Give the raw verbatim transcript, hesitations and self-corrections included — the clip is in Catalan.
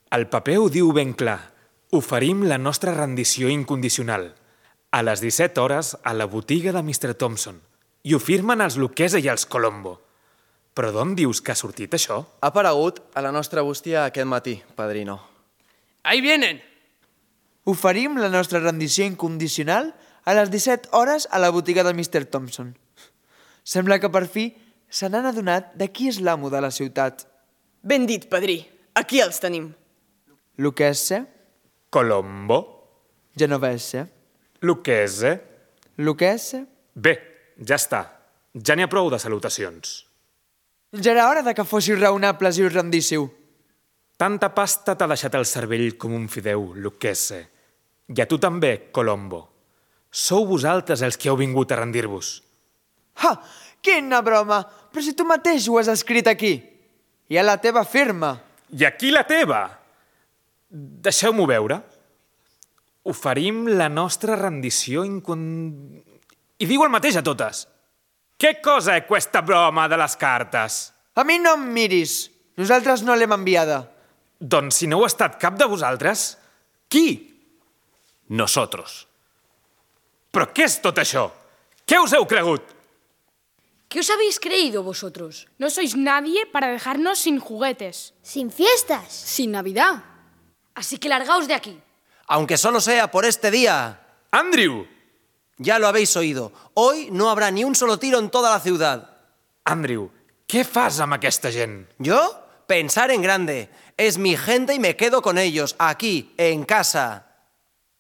El paper ho diu ben clar. Oferim la nostra rendició incondicional. A les disset hores a la botiga de mister Thompson. I ho firmen els Lucchese i els Colombo. Però d'on dius que ha sortit això? Ha aparegut a la nostra bústia aquest matí, padrino. Ahí vienen! Oferim la nostra rendició incondicional a les disset hores a la botiga de mister Thompson. Sembla que per fi se n'han adonat de qui és l'amo de la ciutat. Ben dit, padrí. Aquí els tenim. Lucchese, Colombo, Genovese, Lucchese... Lucchese... Bé, ja està. Ja n'hi ha prou de salutacions. Ja era hora de que fóssiu raonables i us rendíssiu. Tanta pasta t'ha deixat el cervell com un fideu, Lucchese. I a tu també, Colombo. Sou vosaltres els que heu vingut a rendir-vos. Ha! Quina broma! Però si tu mateix ho has escrit aquí. I a la teva firma. I aquí la teva! Deixeu-m'ho veure. Oferim la nostra rendició incon... I diu el mateix a totes. Què cosa è questa broma de les cartes? A mi no em miris. Nosaltres no l'hem enviada. Doncs si no ho ha estat cap de vosaltres, qui? Nosotros. Però què és tot això? Què us heu cregut? ¿Qué os habéis creído vosotros? No sois nadie para dejarnos sin juguetes. Sin fiestas. Sin Navidad. Así que largaos de aquí. Aunque solo sea por este día. Andrew! Ya lo habéis oído. Hoy no habrá ni un solo tiro en toda la ciudad. Andrew, què fas amb aquesta gent? ¿Yo? Pensar en grande. Es mi gente y me quedo con ellos, aquí, en casa.